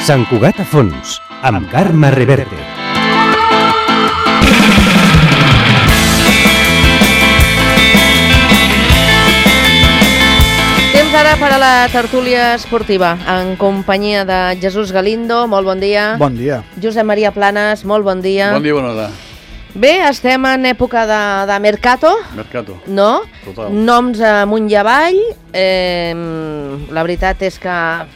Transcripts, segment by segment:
Sant Cugat a fons, amb Carme Reverte. Temps ara per a la tertúlia esportiva, en companyia de Jesús Galindo, molt bon dia. Bon dia. Josep Maria Planes, molt bon dia. Bon dia, bona hora. Bé, estem en època de mercato. Mercato. No? Total. Noms amunt i avall. La veritat és que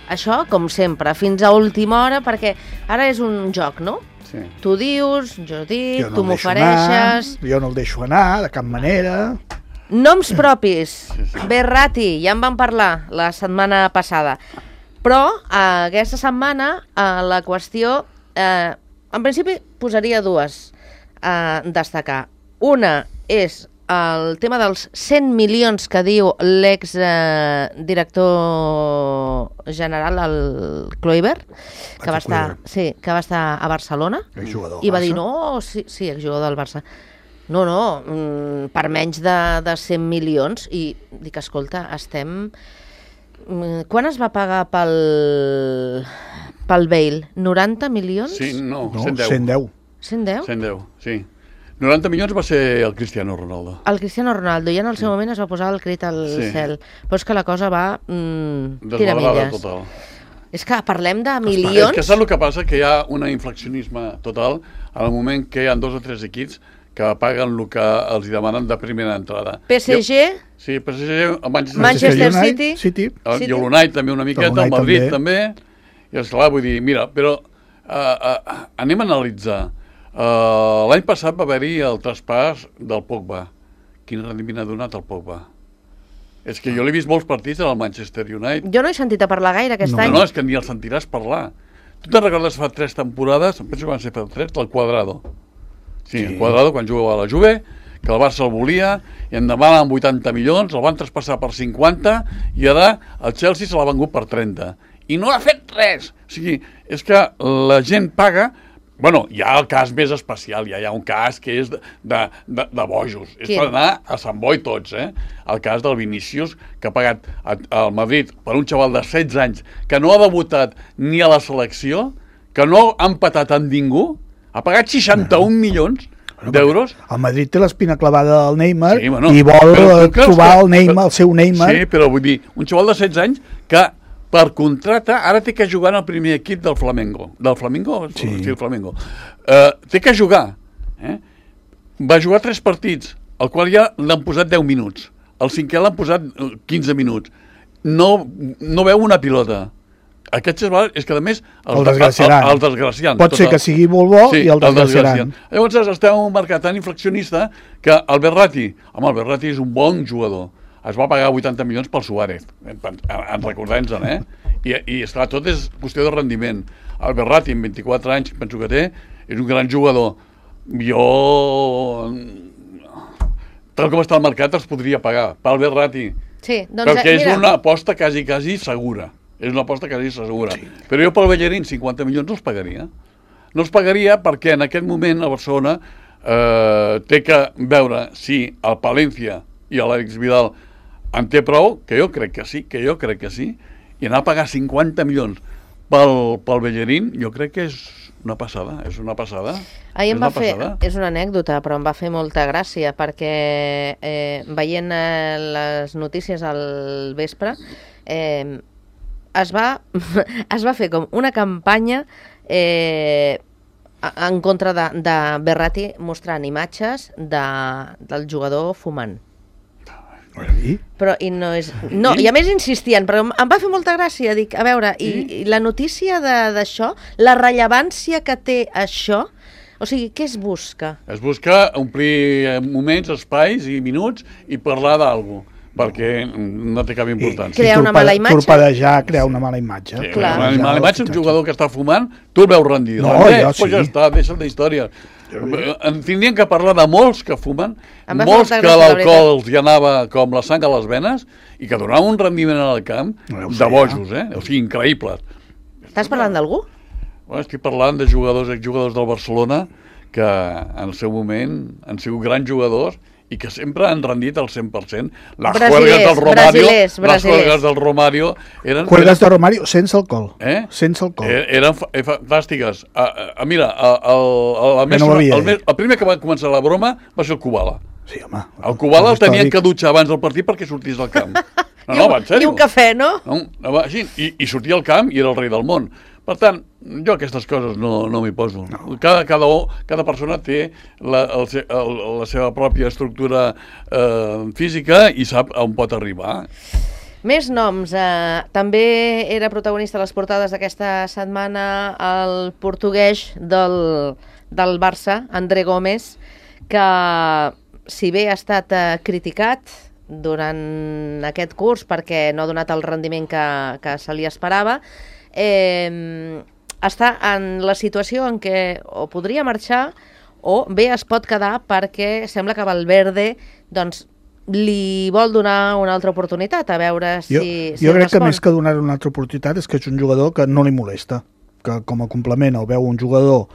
això, com sempre, fins a última hora, perquè ara és un joc, no? Sí. Tu dius, jo dic, Jo no tu el deixo m'ofereixes... anar, jo no el deixo anar, de cap manera. Noms propis. Sí, sí. Berratti, ja en vam parlar la setmana passada. Però aquesta setmana la qüestió, en principi, posaria dues a destacar. Una és el tema dels 100 milions que diu l'ex-director general, el Kluivert, que va estar a Barcelona, Exjugador i va del dir, Barça. no, sí, exjugador del Barça. No, per menys de 100 milions. I dic, escolta, estem... Quan es va pagar pel Bale? 90 milions? Sí, no, No, 110. 110. 110? 110, sí. 90 milions va ser el Cristiano Ronaldo. El Cristiano Ronaldo, ja en el seu moment es va posar el crit al cel. Però és que la cosa va Desvalorada tiramilles. total. És que parlem de És milions... que saps el que passa? Que hi ha un inflacionisme total en el moment que hi ha 2 o 3 equips que paguen el que els demanen de primera entrada. PSG, Sí, PSG, el Manchester City. City. I l'Unai també una miqueta, el Unai Madrid també. I esclar, vull dir, mira, però anem a analitzar. L'any passat va haver-hi el traspàs del Pogba. Quin rendiment ha donat el Pogba? És que jo l'he vist molts partits al Manchester United. Jo no he sentit a parlar gaire aquest any. No, és que ni el sentiràs parlar. Tu te'n recordes fa 3 temporades, penso que van ser fa 3, del Cuadrado. Sí, el Cuadrado, quan jugava a la Juve, que el Barça el volia, i en demanen 80 milions, el van traspassar per 50, i ara el Chelsea se l'ha vengut per 30. I no ha fet res! O sigui, és que la gent paga... Bueno, hi ha el cas més especial, hi ha un cas que és de bojos. És per anar a Sant Boi tots, eh? El cas del Vinícius, que ha pagat al Madrid per un xaval de 16 anys, que no ha debutat ni a la selecció, que no ha empatat amb ningú, ha pagat 61 milions d'euros. El Madrid té l'espina clavada al Neymar, Sí, bueno, i vol però tu creus trobar que- el Neymar, el seu Neymar. Sí, però vull dir, un xaval de 16 anys que per contracte ara té que jugar en el primer equip del Flamengo. Del Flamengo? Sí. El Flamengo. Té que jugar. Va jugar 3 partits, al qual ja l'han posat 10 minuts. El cinquè l'han posat 15 minuts. No veu una pilota. Aquest xaval és que, a més, El desgraciaran. El desgraciaran. Pot ser que sigui molt bo i el desgraciaran. Llavors estem en un mercat tan inflacionista que el Berratti és un bon jugador. Es va pagar 80 milions pel Suárez, en recordar-nos-en, I esclar, tot és qüestió de rendiment. El Berratti, amb 24 anys, penso que té, és un gran jugador. Jo, tal com està el mercat, els podria pagar. Pel Berratti. Sí, doncs Perquè és mira, una aposta quasi segura. És una aposta quasi segura. Sí. Però jo pel Bellerín 50 milions no els pagaria. No els pagaria perquè en aquest moment a Barcelona té que veure si el Palència i l'Àlex Vidal en té prou, que jo crec que sí, i anar a pagar 50 milions pel Bellerín, jo crec que és una passada, ahir em va fer, és una anècdota, però em va fer molta gràcia, perquè veient les notícies al vespre, es va fer com una campanya en contra de Berratti, mostrant imatges del jugador fumant. Però, i no és... No, i a més insistien, però em va fer molta gràcia, dic, a veure, i la notícia d'això, la rellevància que té això, o sigui, què es busca? Es busca omplir moments, espais i minuts i parlar d'alguna cosa, perquè no té cap importància. Crear una mala imatge. Torpedejar, crear una mala imatge. Sí, clar. Una mala imatge, un jugador que està fumant, tu el veus rendir. No, jo sí. Pues ja està, deixa'l d'història. En tindrien que parlar de molts que fumen, Em va molts fer que molta gràcia, la l'alcohol els hi anava com la sang a les venes i que donaven un rendiment al camp No ho sé, de bojos, o sigui, increïbles. Estàs parlant d'algú? Bueno, estic parlant de exjugadors del Barcelona que en el seu moment han sigut grans jugadors i que sempre han rendit al 100%. Les juergues del Romario eren... Juergues del Romario sense alcohol. Sense alcohol. Eren fantàstiques. Mira, el primer que va començar la broma va ser el Kubala. Sí, home. El Kubala el tenien que dutxar abans del partit perquè sortís del camp. No, va, en sèrio. I un cafè, no? I sortia al camp i era el rei del món. Per tant, jo aquestes coses no m'hi poso. Cada persona té la seva pròpia estructura física i sap on pot arribar. Més noms. També era protagonista a les portades d'aquesta setmana el portuguès del Barça, André Gómez, que si bé ha estat criticat durant aquest curs perquè no ha donat el rendiment que se li esperava, està en la situació en què o podria marxar o bé es pot quedar perquè sembla que Valverde doncs, li vol donar una altra oportunitat, a veure si jo crec que més que donar una altra oportunitat és que és un jugador que no li molesta, que com a complement el veu un jugador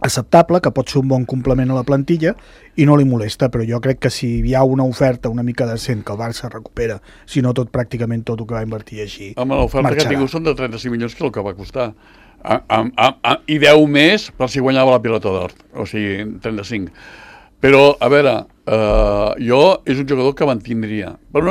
acceptable, que pot ser un bon complement a la plantilla i no li molesta, però jo crec que si hi ha una oferta una mica decent que el Barça recupera, si no pràcticament tot el que va invertir així, home, l'oferta que ha tingut són de 35 milions, que és el que va costar i 10 més per si guanyava la pilota d'or, o sigui 35. Però, a veure, jo és un jugador que mantindria per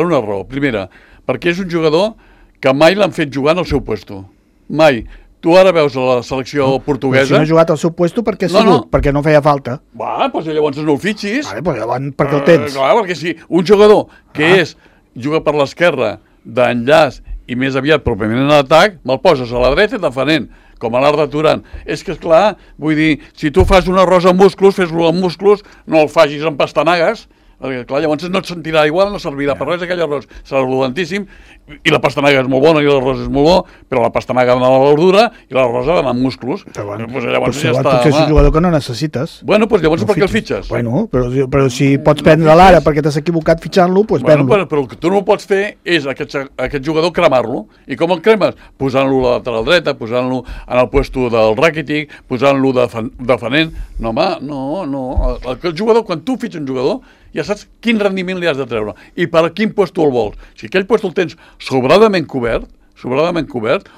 una raó. Primera, perquè és un jugador que mai l'han fet jugar en el seu puesto, mai. Tu ara veus a la selecció portuguesa... Si no ha jugat al seu puesto, perquè perquè no feia falta. Va, doncs llavors no el fitxis. Vale, llavors perquè el tens. Clar, perquè si un jugador que juga per l'esquerra, d'enllaç i més aviat pròpiament en l'atac, me'l poses a la dreta i defenent, com a l'Arda Turan. És que, esclar, vull dir, si tu fas un arròs amb musclos, fes-lo amb musclos, no el facis amb pastanagues, perquè, clar, llavors no et sentirà igual, no servirà per res, aquell arròs serà rodantíssim, i la pastanaga és molt bona i l'arròs és molt bo, però la pastanaga ha d'anar a la verdura i l'arròs ha d'anar amb musclos. Llavors ja està... Potser és un jugador que no necessites. Bueno, doncs llavors per què el fitxes? Bueno, però si pots prendre l'ara perquè t'has equivocat fitxant-lo, doncs ven-lo. Però el que tu no pots fer és aquest jugador cremar-lo. I com el cremes? Posant-lo a la lateral dreta, posant-lo en el puesto del Rakitic, posant-lo defenent. No, home, no. El jugador, quan tu fitxes un jugador, ja saps quin rendiment li has de treure i per a quin puesto el vols. Si aquell puesto el tens sobradament cobert,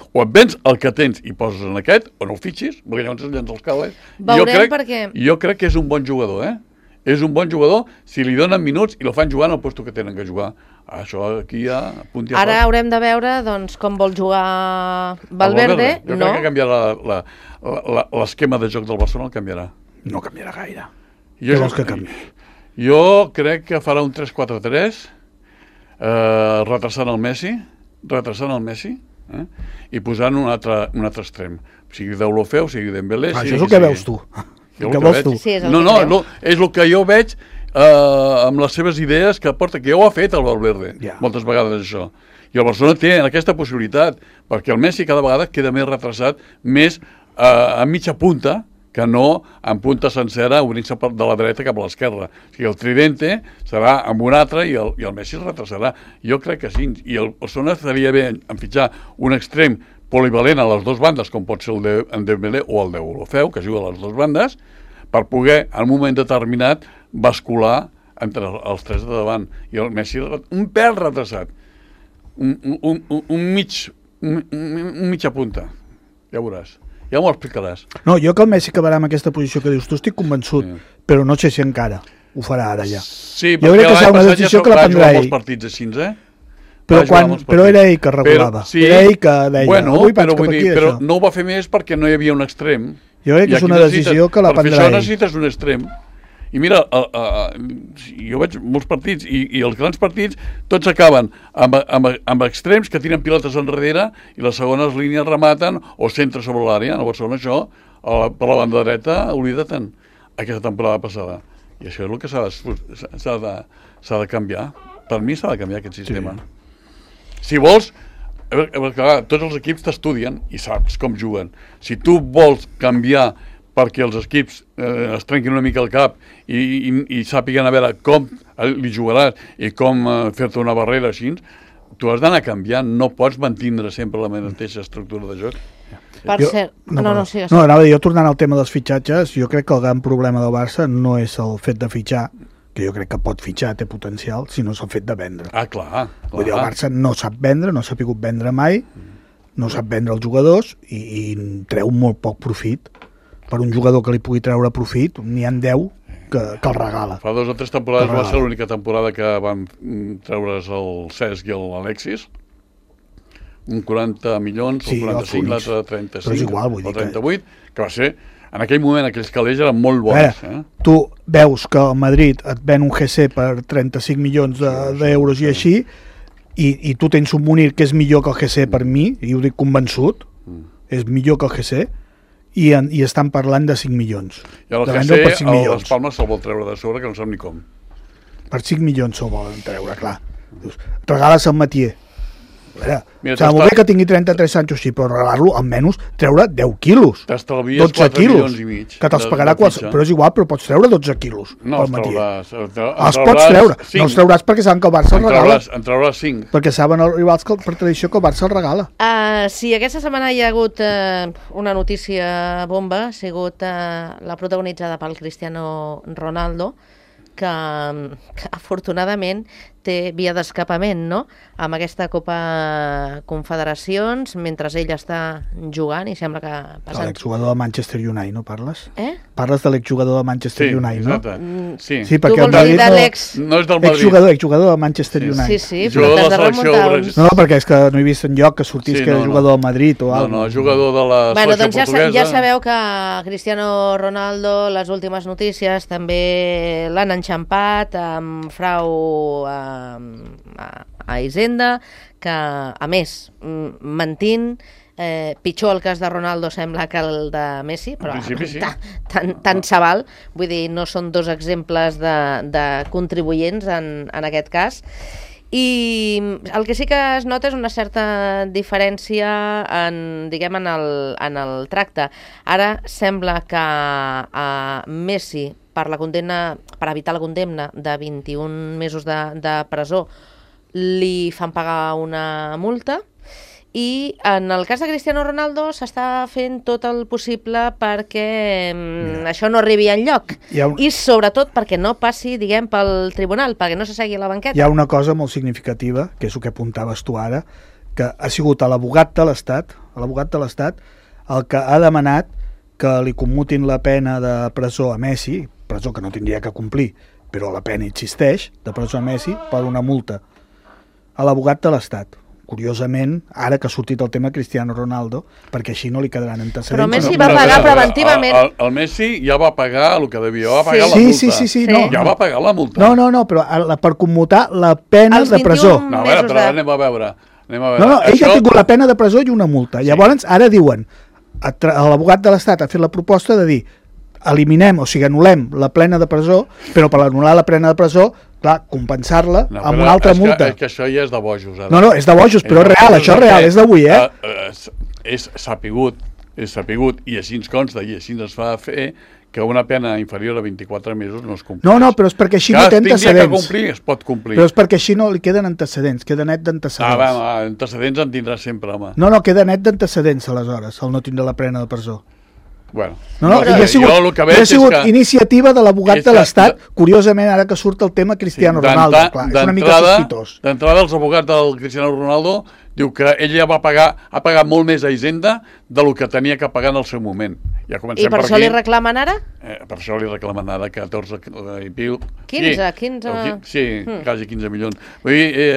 o et vens el que tens i poses en aquest, o no el fitxis, perquè llavors es llença els cables. Jo crec que és un bon jugador, És un bon jugador si li donen minuts i el fan jugar en el puesto que tenen que jugar. Això aquí ja... Ara haurem de veure doncs, com vol jugar Valverde. Jo crec que canviarà l'esquema de joc del Barcelona, el canviarà. No canviarà gaire. Què vols que canvi? Jo crec que farà un 3-4-3, retrasant el Messi, i posant un altre extrem. Sigui Deulofeu, sigui Dembélé... Això és el que veus tu. Que vols tu. No, és el que jo veig amb les seves idees que porta, que ja ho ha fet el Valverde, moltes vegades això. I el Barcelona té aquesta possibilitat, perquè el Messi cada vegada queda més retrasat, més a mitja punta, que no en punta sencera obrint-se de la dreta cap a l'esquerra. O sigui, el tridente serà amb un altre i el Messi es retrasarà. Jo crec que sí. I el Barcelona estaria bé en fitxar un extrem polivalent a les dues bandes, com pot ser el de Dembélé o el de Deulofeu, que juga a les dues bandes, per poder, en un moment determinat, bascular entre els tres de davant. I el Messi un pèl retrasat. Un mitja punta. Ja veuràs. Ja m'ho explicaràs. No, jo que el Messi acabarà amb aquesta posició que dius tu estic convençut, però no sé si encara ho farà ara ja. Sí, perquè l'any passat ja va jugar molts partits així, Però era ell que regulava. Era ell que deia, però no ho va fer més perquè no hi havia un extrem. Jo crec que és una decisió que la prendrà ell. Per això necessites un extrem. I mira, jo veig molts partits i els grans partits tots acaben amb extrems que tiren pilotes enrere i les segones línies rematen o centre sobre l'àrea. En el Barcelona això, per la banda dreta, oblida-te'n aquesta temporada passada. I això és el que s'ha de canviar. Per mi s'ha de canviar aquest sistema. Si vols, tots els equips t'estudien i saps com juguen. Si tu vols canviar perquè els equips es trenquin una mica el cap i sàpiguen a veure com li jugaràs i com fer-te una barrera així, tu has d'anar canviant, no pots mantindre sempre la mateixa estructura de joc. Per cert, anava a dir, jo tornant al tema dels fitxatges, jo crec que el gran problema del Barça no és el fet de fitxar, que jo crec que pot fitxar, té potencial, si no s'ha fet de vendre. Clar. Vull dir, el Barça no sap vendre, no s'ha pogut vendre mai, no sap vendre els jugadors i treu molt poc profit. Per un jugador que li pugui treure profit, n'hi ha 10 que el regala. Fa 2 o 3 temporades va ser l'única temporada que van treure's el Cesc i l'Alexis, un 40 milions, o 45, l'altre 35, però és igual, vull dir o 38, que va ser... En aquell moment, aquells calés eren molt bons. Tu veus que el Madrid et ven un GC per 35 milions d'euros i així, i tu tens un Munir que és millor que el GC per mi, i ho dic convençut, és millor que el GC, i estan parlant de 5 milions. I el GC, les Palmes se'l vol treure de sobre, que no sap ni com. Per 5 milions se'l volen treure, clar. Regales el Matier. Mira, molt bé que tingui 33 anys o així, però regalar-lo almenys treure 10 quilos. T'estalvies 4 milions i mig. Que te'ls pagarà qualsevol, però és igual, però pots treure 12 quilos. No, els trauràs. Els pots treure. 5. No els trauràs perquè saben que el Barça el regala. En trauràs 5. Perquè saben els rivals que per tradició que el Barça el regala. Sí, aquesta setmana hi ha hagut una notícia bomba, ha sigut la protagonitzada pel Cristiano Ronaldo, que afortunadament té via d'escapament, no?, amb aquesta Copa Confederacions, mentre ell està jugant, i sembla que... L'exjugador de Manchester United, no parles? Parles de l'exjugador de Manchester United, no? Sí, perquè tu vols dir de l'ex... No és del Madrid. Exjugador de Manchester United. Sí, però t'has de remuntar uns... No, perquè és que no he vist enlloc que sortís que era jugador del Madrid o alguna cosa. No, jugador de la selecció portuguesa. Ja sabeu que Cristiano Ronaldo, les últimes notícies, també l'han enxampat amb frau a Hisenda, que a més mentint, pitjor el cas de Ronaldo sembla que el de Messi, però tant se val, vull dir, no són 2 exemples de contribuents en aquest cas. I el que sí que es nota és una certa diferència en el tracte. Ara sembla que a Messi, per evitar la condemna de 21 mesos de presó, li fan pagar una multa, i en el cas de Cristiano Ronaldo s'està fent tot el possible perquè això no arribi enlloc, i sobretot perquè no passi, pel tribunal, perquè no s'assegui a la banqueta. Hi ha una cosa molt significativa, que és el que apuntaves tu ara, que ha sigut l'abogat de l'Estat el que ha demanat que li commutin la pena de presó a Messi, presó que no tindria que complir, però la pena existeix, de presó a Messi, per una multa. A l'abogat de l'Estat. Curiosament, ara que ha sortit el tema Cristiano Ronaldo, perquè així no li quedaran antecedents. Però Messi va pagar preventivament. El Messi ja va pagar el que devia, va pagar la multa. Sí. Ja va pagar la multa. No, però per commutar la pena de presó. No, però anem a veure. No, ell ha tingut la pena de presó i una multa. Llavors, ara diuen, l'abogat de l'Estat ha fet la proposta de dir eliminem, o sigui, anul·lem la plena de presó, però per anul·lar la plena de presó, clar, compensar-la amb una altra multa. És que això ja és de bojos. No, és de bojos, però és real, això és real, és d'avui, És sapigut, i així ens consta, i així ens fa fer que una pena inferior a 24 mesos no es compleix. No, però és perquè així no té antecedents. Que complir, es pot complir. Però és perquè així no li queden antecedents, queda net d'antecedents. Antecedents en tindrà sempre, home. No, queda net d'antecedents, aleshores, el no tindre la pena de presó. Bueno, ha sigut iniciativa de l'abogat de l'Estat, curiosament ara que surt el tema Cristiano Ronaldo, clar, és una mica sospitós. D'entrada, els abogats del Cristiano Ronaldo diu que ell ja ha pagat molt més a Hisenda del que tenia que pagar en el seu moment. I per això li reclamen ara? Per això li reclamen ara 14 i piu. 15? Sí, quasi 15 milions. Vull dir,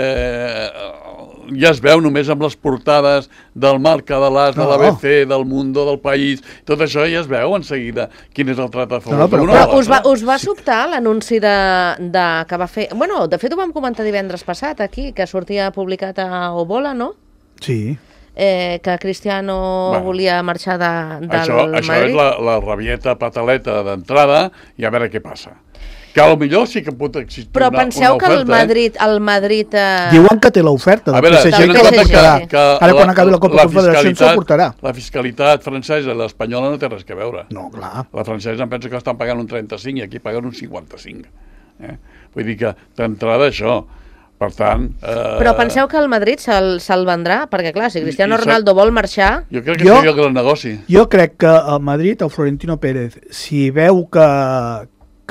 ja es veu només amb les portades del Marca, de l'As, de l'ABC, del Mundo, del País, tot això ja es veu en seguida quin és el tracte a favor d'una. Però us va sobtar l'anunci que va fer... Bueno, de fet ho vam comentar divendres passat aquí, que sortia publicat a Obola, no? Sí. Que Cristiano volia marxar del Madrid. Això és la rabieta pataleta d'entrada i a veure què passa. Que potser sí que pot existir una oferta. Però penseu que el Madrid... Diuen que té l'oferta del PSG que la portarà. Ara quan acabi la Copa Confederació se'l portarà. La fiscalitat francesa i l'espanyola no té res que veure. No, clar. La francesa em pensa que estan pagant un 35 i aquí paguen un 55. Vull dir que d'entrada això... Per tant... Però penseu que el Madrid se'l vendrà? Perquè, clar, si Cristiano Ronaldo vol marxar... Jo crec que seria el gran negoci. Jo crec que el Madrid, el Florentino Pérez, si veu que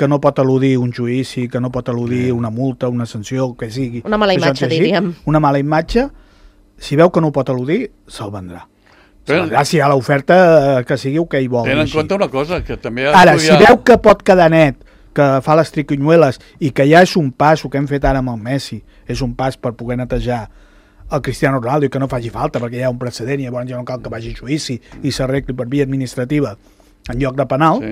que no pot eludir un judici, que no pot eludir una multa, una sanció, que sigui. Una mala imatge, diríem. Una mala imatge, si veu que no ho pot eludir, se'l vendrà. Si hi ha l'oferta que sigui el que hi vol. Tenen en compte una cosa, que també... Ara, si veu que pot quedar net, que fa les triquinyueles i que ja és un pas, el que hem fet ara amb el Messi, és un pas per poder netejar el Cristiano Ronaldo i que no faci falta, perquè hi ha un precedent i llavors ja no cal que vagi a judici i s'arregli per via administrativa en lloc de penal,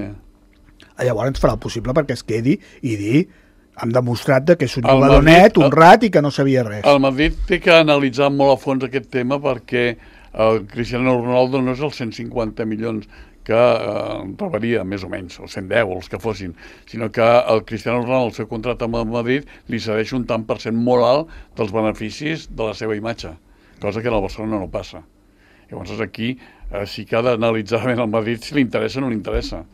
llavors ens farà el possible perquè es quedi i dir hem demostrat que és un jugador net, honrat i que no sabia res. El Madrid té que analitzar molt a fons aquest tema perquè el Cristiano Ronaldo no és els 150 milions que rebaria, més o menys, els 110, els que fossin, sinó que el Cristiano Ronaldo, el seu contracte amb el Madrid, li cedeix un tant per cent molt alt dels beneficis de la seva imatge, cosa que en el Barcelona no passa. Llavors aquí sí que ha d'analitzar ben el Madrid si li interessa o no li interessa.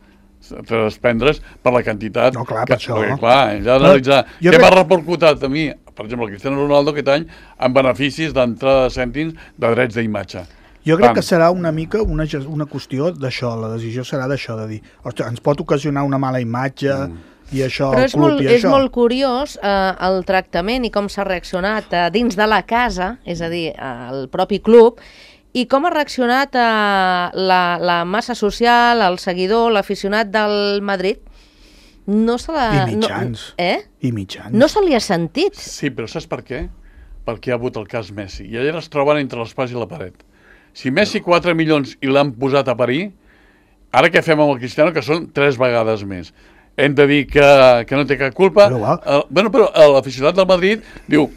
Desprendre's per la quantitat... No, clar, per això. Perquè, clar, ell ha d'analitzar què m'ha repercutat a mi, per exemple, el Cristiano Ronaldo aquest any, amb beneficis d'entrada de cèntims de drets d'imatge. Jo crec que serà una mica una qüestió d'això, la decisió serà d'això, de dir, ostres, ens pot ocasionar una mala imatge i això, però el club i això. és molt curiós el tractament i com s'ha reaccionat dins de la casa, és a dir, el propi club, i com ha reaccionat la massa social, el seguidor, l'aficionat del Madrid. No se la... I mitjans. I mitjans. No se li ha sentit. Sí, però saps per què? Perquè hi ha hagut el cas Messi. I allà es troben entre l'espàs i la paret. Si Messi 4 milions i l'han posat a parir, ara què fem amb el Cristiano, que són 3 vegades més? Hem de dir que no té cap culpa. Però l'aficionat del Madrid diu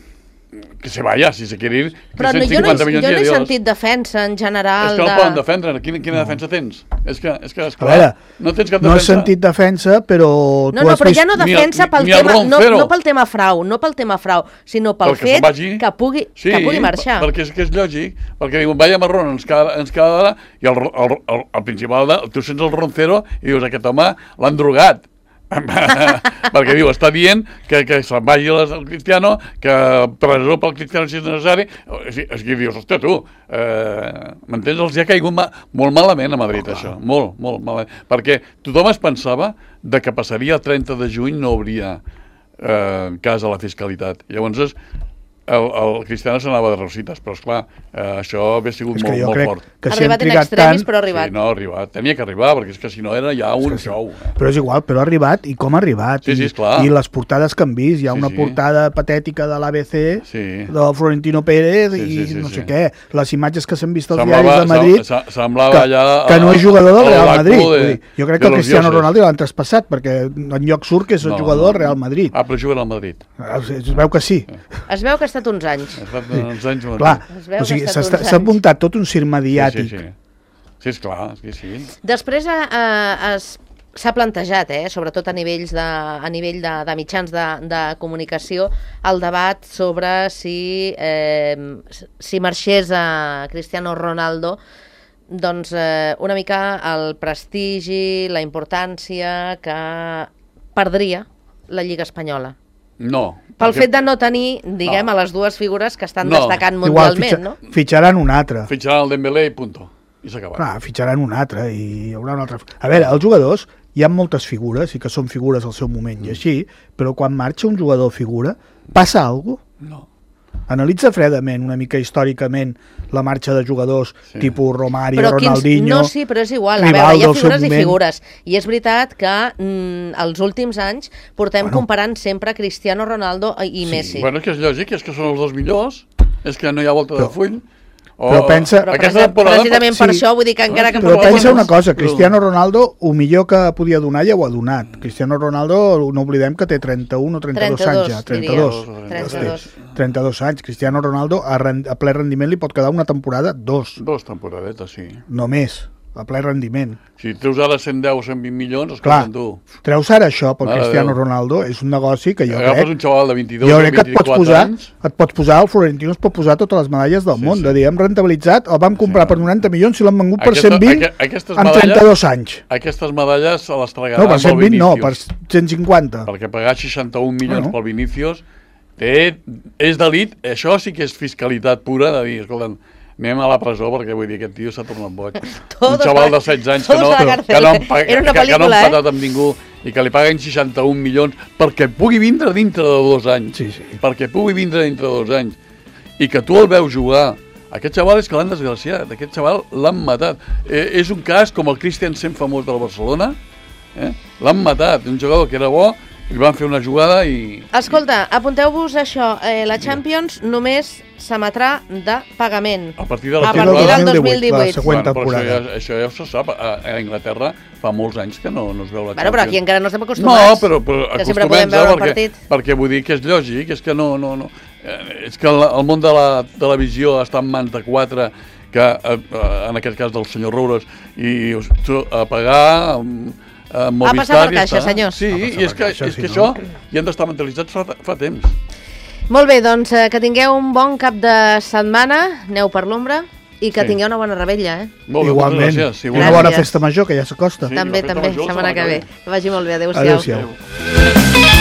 que se vaya, si se quiere ir. Però jo no he sentit defensa en general. És que no poden defendre. Quina defensa tens? És que veure, no tens cap defensa. No he sentit defensa, però... No, però ja no defensa pel tema... No pel tema frau, sinó pel fet que pugui marxar. Perquè és lògic. Perquè diuen, vaya marrón, ens queda d'ara, i el principal, tu sents el roncero i dius, aquest home l'han drogat. Perquè diu, està dient que se'n vagi el Cristiano, que presó pel Cristiano si és necessari. És que dius, hòstia, tu, m'entens? Els ha caigut molt malament a Madrid, això, molt malament, perquè tothom es pensava que passaria el 30 de juny, no hauria cas a la fiscalitat. Llavors el Cristiano s'anava de rosites, però esclar, això havia sigut molt fort. Ha arribat en extremis, però ha arribat. Sí, no, ha arribat. Tenia que arribar, perquè és que si no era ja un show. Però és igual, però ha arribat, i com ha arribat. Sí, esclar. I les portades que han vist, hi ha una portada patètica de l'ABC, del Florentino Pérez, i no sé què. Les imatges que s'han vist als diaris de Madrid, que no és jugador del Real Madrid. Jo crec que el Cristiano Ronaldo l'han traspassat, perquè en lloc surt que és el jugador del Real Madrid. Ah, però juga al Madrid. Es veu que sí. Es veu que ha estat uns anys. Clar, o sigui, s'ha muntat tot un circ mediàtic. Sí, és clar, sí. Després s'ha plantejat, sobretot a nivell de mitjans de comunicació, el debat sobre si marxés a Cristiano Ronaldo, doncs una mica el prestigi, la importància que perdria la Lliga Espanyola. No. Pel fet de no tenir, diguem, a les dues figures que estan destacant mundialment, no? Fitxaran un altre. Fitxaran el Dembélé i punto. I s'ha acabat. Clar, fitxaran un altre i hi haurà un altre. A veure, els jugadors, hi ha moltes figures i que són figures al seu moment i així, però quan marxa un jugador figura, passa alguna cosa? No. Analitza fredament, una mica històricament, la marxa de jugadors tipus Romario, Ronaldinho... No, sí, però és igual. A veure, hi ha figures i figures. I és veritat que els últims anys portem comparant sempre Cristiano Ronaldo i Messi. Bueno, és que és lògic, és que són els dos millors, és que no hi ha volta de full. Però pensa... Precisament per això, vull dir que encara que... Però pensa una cosa, Cristiano Ronaldo, el millor que podia donar ja ho ha donat. Cristiano Ronaldo, no oblidem que té 31 o 32 anys ja. 32 anys. Cristiano Ronaldo a ple rendiment li pot quedar una temporada, 2. 2 temporadetes, sí. Només, a ple rendiment. Si treus ara 110 o 120 milions, escolta'm tu. Treus ara això pel Cristiano Ronaldo, és un negoci que jo crec... Agafes un xaval de 22 o 24 anys... Et pots posar, el Florentino es pot posar totes les medalles del món, de dir, hem rentabilitzat, el vam comprar per 90 milions i l'han vengut per 120 en 32 anys. Aquestes medalles se les tragaran per 120 no, per 150. Perquè pagar 61 milions pel Vinícius és d'elit, això sí que és fiscalitat pura, de dir, escolta'm, anem a la presó perquè vull dir, aquest tio s'ha tornat boig. Un xaval de 16 anys que no han patat amb ningú i que li paguen 61 milions perquè pugui vindre dintre de 2 anys. Sí, sí. Perquè pugui vindre dintre de 2 anys. I que tu el veus jugar. Aquest xaval és que l'han desgraciat, aquest xaval l'han matat. És un cas com el Christensen famós del Barcelona, l'han matat, un jugador que era bo, li van fer una jugada i... Escolta, apunteu-vos això, la Champions només s'emetrà de pagament. A partir de la del 2018. La següent Però temporada. això ja se sap. A Anglaterra fa molts anys que no es veu la Champions. Bueno, però aquí encara no estem No, acostumats. però que sempre podem veure el partit. perquè vull dir que és lògic, és que no. És que el món de la televisió està en mans de 4 que, en aquest cas del senyor Roures, i a pagar... Ha passat per caixa, senyors. Sí, i és que això ja han d'estar mentalitzats fa temps. Molt bé, doncs que tingueu un bon cap de setmana, aneu per l'ombra, i que tingueu una bona rebella, Molt bé, igualment. gràcies. Una bona festa major, que ja s'acosta. També, setmana que ve. Que vagi molt bé, adéu-siau. Adéu-siau.